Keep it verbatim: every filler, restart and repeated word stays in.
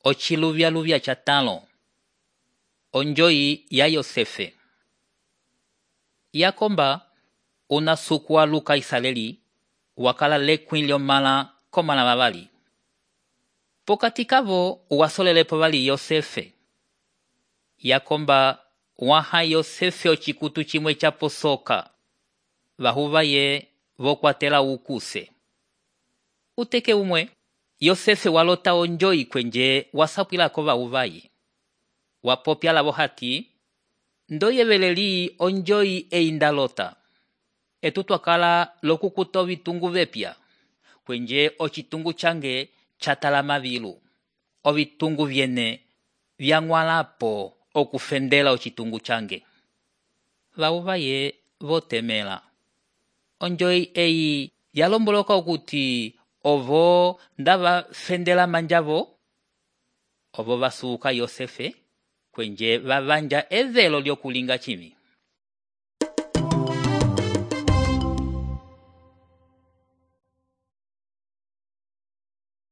Ochiluvya-luvya chatalo. Onjoyi ya Yosefe. Yakomba una suku wa luka Israeli wakala lekwin lyomala komala vavali. Pokati kavo wasolelepo vali Yosefe. Yakomba waha Yosefe ochikutu chimwe chaposoka. Vahuva ye vokwatela ukuse. Uteke umwe, Yosefe walota onjoyi kwenje wasapwila kova uvayi. Wapopya lavo hati, ndoyeveleli onjoyi eindalota. Etu twakala lokukuta ovitungu vepya. Kwenje ochitungu change chatalama vilu. Ovitungu vyene vyangwalapo okufendela ochitungu change. Vauva ye votemela. Onjoyi eyi yalomboloka okuti ovo ndava fendela manjavo. Ovo vasuka Yosefe kwenje vavanja evelo lyokulinga chimi.